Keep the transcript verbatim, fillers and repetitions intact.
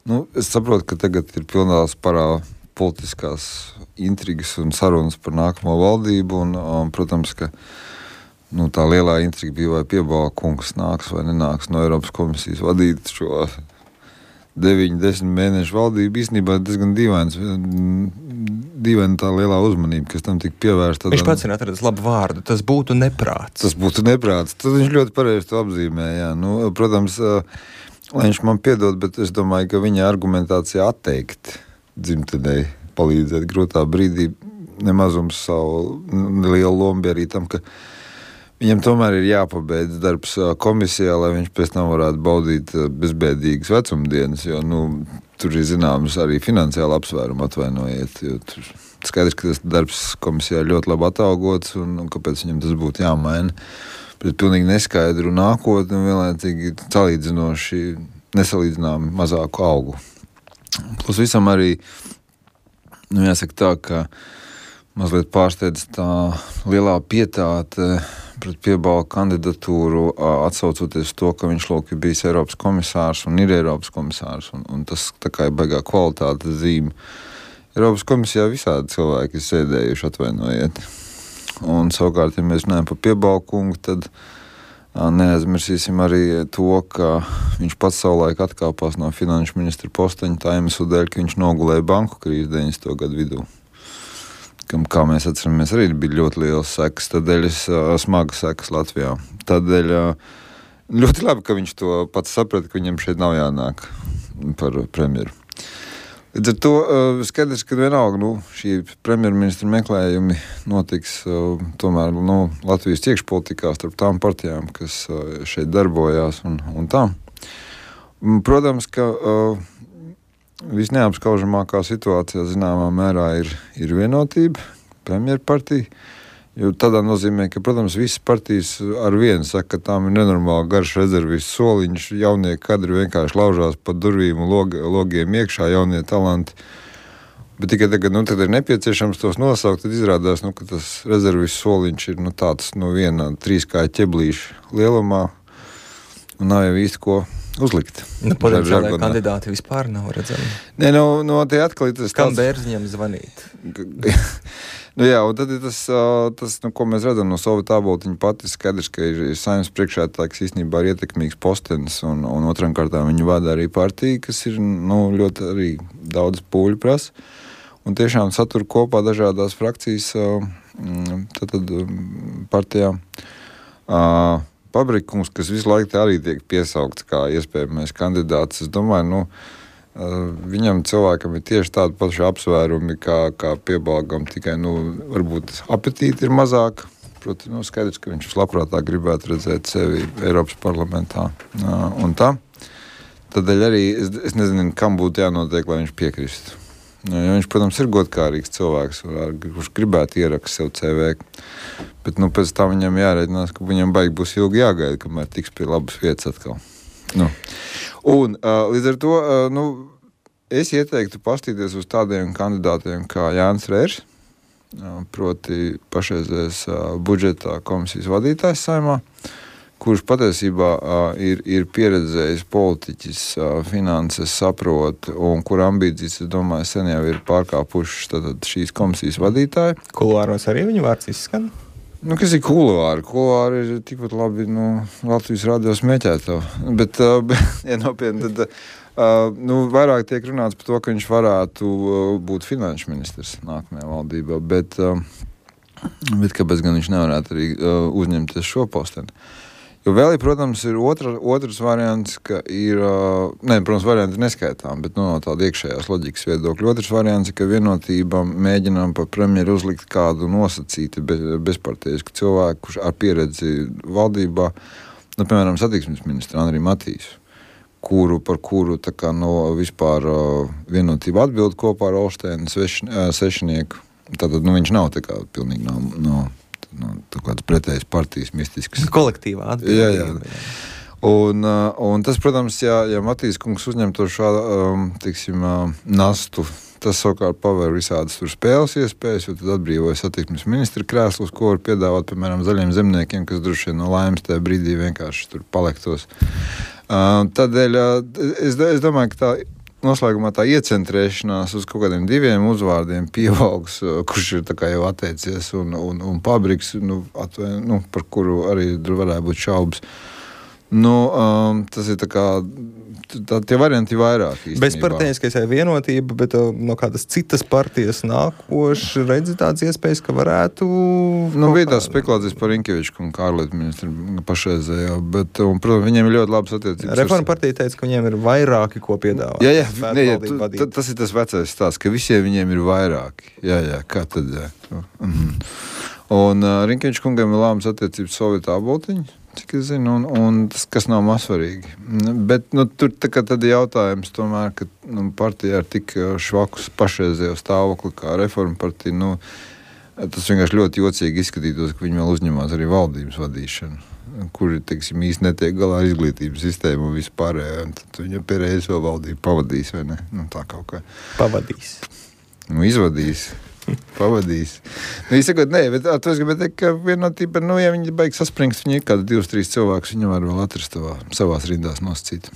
Nu, es saprotu, ka tagad ir pilnā sparā politiskās intrigas un sarunas par nākamo valdību, un, un protams, ka nu, tā lielā intriga bija, vai Piebalga kungs nāks vai nenāks no Eiropas komisijas vadīt šo deviņu, desmit mēnešu valdību. Īstenībā diezgan dīvains, dīvaina tā lielā uzmanība, kas tam tika pievērsta. Viņš pats ir atradis labu vārdu, tas būtu neprāts. Tas būtu neprāts, tad viņš ļoti pareizi to apzīmē, jā. Nu, protams, lai viņš man piedod, bet es domāju, ka viņa argumentācija atteikt dzimtenei palīdzēt grūtā brīdī nemazums savu lielu lomu bija arī tam, ka viņam tomēr ir jāpabeidz darbs komisijā, lai viņš pēc tam varētu baudīt bezbēdīgas vecumdienas, jo, nu, tur ir zināms arī finansiāli apsvērumi, atvainojiet, jo tur skaidrs, ka tas darbs komisijā ļoti labi atalgots, un, un kāpēc viņam tas būtu jāmaina. Bet pilnīgi neskaidru nākotni un vienlaicīgi salīdzinoši nesalīdzināmi mazāku algu. Plus visam arī, nu, jāsaka tā, ka mazliet pārsteidz tā lielā pietāte pret Piebalga kandidatūru, atsaucoties to, ka viņš lūk ir bijis Eiropas komisārs un ir Eiropas komisārs, un, un tas tā kā ir baigā kvalitātes zīme. Eiropas komisijā visādi cilvēki ir sēdējuši, atvainojiet. Un savukārt, ja mēs runājam par Piebalgu kungu, tad neaizmirsīsim arī to, ka viņš pats savulaik atkāpās no finanšu ministra posteņa tā iemesla dēļ, ka viņš nogulēja banku krīzi deviņdesmito gadu vidū. Kam, kā mēs atceramies, arī bija ļoti liels sekas, tādēļ es smagas sekas Latvijā. Tādēļ ļoti labi, ka viņš to pats saprata, ka viņam šeit nav jānāk par premjeru. Līdz ar to skaidrs, ka vienalga, nu, šī premjerministra meklējumi notiks tomēr, nu, Latvijas iekšpolitikā starp tām partijām, kas šeit darbojās un, un tā. Protams, ka visneapskaužamākā situācijā zināmā mērā ir, ir vienotība, premjerpartija, jo tādā nozīmē, ka, protams, visas partijas ar vienu saka, ka tām ir nenormāli garš rezervis soliņš, jaunie kadri vienkārši laužās pa durvīm un log, logiem iekšā, jaunie talanti. Bet tikai tagad, nu, tad ir nepieciešams tos nosaukt, tad izrādās, nu, ka tas rezervis soliņš ir, nu, tāds, nu, viena trīskāja ķeblīša lielumā, un nav jau īsti ko uzlikt. Nu, potenciālai kandidāti vispār nav redzami. Nē, nu, no tie atkal ir tas... Kam Bērziņam zvanīt? Nu jā, un tad ir tas, tas nu, ko mēs redzam no Sovietu āboltiņa pati, skaidrs, ka ir, ir Saeimas priekšsēdētājs īstenībā ir ietekmīgs postenis, un, un otram kārtā viņu vada arī partija, kas ir, nu, ļoti arī daudz pūļu prasa, un tiešām satur kopā dažādās frakcijas tad, tad partijā. Pabrikums, kas visu laiku arī tiek piesaukts kā iespējamais kandidāts, es domāju, nu, viņam cilvēkam ir tieši tādi paši apsvērumi kā, kā Piebalgam, tikai, nu, varbūt apetīti ir mazāk. Proti, nu, skaidrs, ka viņš vislabprātāk gribētu redzēt sevi Eiropas parlamentā un tā. Tādēļ arī es, es nezinu, kam būtu jānotiek, lai viņš piekristu. Ja viņš, protams, ir godkārīgs cilvēks, kurš gribētu ierakst sev C V, bet, nu, pēc tam viņam jārēķinās, ka viņam baigi būs ilgi jāgaida, kamēr tiks pie labas vietas atkal. Nu. Un līdz ar to, nu, es ieteiktu pastīties uz tādiem kandidātiem kā Jānis Rērs, proti pašreizējais budžeta komisijas vadītājs Saeimā, kurš patiesībā uh, ir, ir pieredzējis politiķis, uh, finanses saprot, un kur ambīcijas, es domāju, sen jau ir pārkāpušas tātad šīs komisijas vadītāji. Kuluāros arī viņa vārds izskan? Nu, kas ir kuluāri? Kuluāri ir tikpat labi, nu, Latvijas radio smēķēto. Bet, uh, ja nopietni, tad, uh, nu, vairāk tiek runāts par to, ka viņš varētu uh, būt finanšu ministrs nākamajā valdībā, bet, uh, bet kāpēc gan viņš nevarētu arī uh, uzņemties šo posteni? Jo vēl, protams, ir otra, otrs variants, ka ir, ne, protams, varianti neskaitām, bet nu, no tāda iekšējās loģikas viedokļa. Otrs variants ir, ka vienotība mēģinām par premjeru uzlikt kādu nosacīti bezpartijisku cilvēku, kurš ar pieredzi valdībā, nu, piemēram, satiksmes ministra Andriju Matīsu, kuru, par kuru tā kā no vispār vienotība atbild kopā ar Olšteinu Sešinieku. Tātad, nu, viņš nav tā kā pilnīgi no... no Nu, tā kāds pretējs partijas mistisks. Kolektīvā atbildība. Jā, jā. Un, un tas, protams, ja, ja Matīs kungs uzņem to šādu, um, teiksim, uh, nastu, tas savukārt paver visādas tur spēles iespējas, jo tad atbrīvoja satiksmes ministra krēslus, ko var piedāvāt, piemēram, zaļiem zemniekiem, kas droši vien no laimes tajā brīdī vienkārši tur palektos. Uh, tādēļ uh, es, es domāju, ka tā noslēgumā tā iecentrēšanās uz kaut kādiem diviem uzvārdiem pieaugs, kurš ir tā kā jau atteicies, un, un, un Pabriks, nu, atvēn, nu, par kuru arī varētu būt šaubas. Nu, um, tas ir tā kā, tā, tie varianti ir vairāk īstenībā. Bezparteiskais vienotība, bet no kādas citas partijas nākoši redzi tādas iespējas, ka varētu... Nu, bija tās spekulācijas par Rinkeviču un ārlietu ministru pašreizējo, bet, un, protams, viņiem ir ļoti labas attiecības. Reforma partija teica, ka viņiem ir vairāki, ko piedāvāt. Jā, jā, ne, jā tu, tas ir tas vecais stāsts, ka visiem viņiem ir vairāki. Jā, jā, kā tad, jā. Mhm. Un uh, Rinkeviču kungam ir labas attiecības Sovietu aboltiņu, cik es zinu, un, un tas, kas nav mazsvarīgi. Bet nu, tur tā kā tad jautājums tomēr, ka nu, partija ir tik švakus pašreizējo stāvokli kā Reforma partija, nu, tas vienkārši ļoti jocīgi izskatītos, ka viņi vēl uzņemās arī valdības vadīšanu, kuri, teiksim, īsti netiek galā ar izglītības sistēmu un vispārējo, un tad viņa pierēs vēl valdību pavadīs, vai ne? Nu, tā kaut kā. Pavadīs. Nu, izvadīs. Pavadīs. Nu, izsakot, nē, bet to es gribētu teikt, ka vienotība, nu, ja viņi baigi saspringst, viņi ir kādi divas, trīs cilvēkus, viņi var vēl atrast savā, savās rindās nosacīt.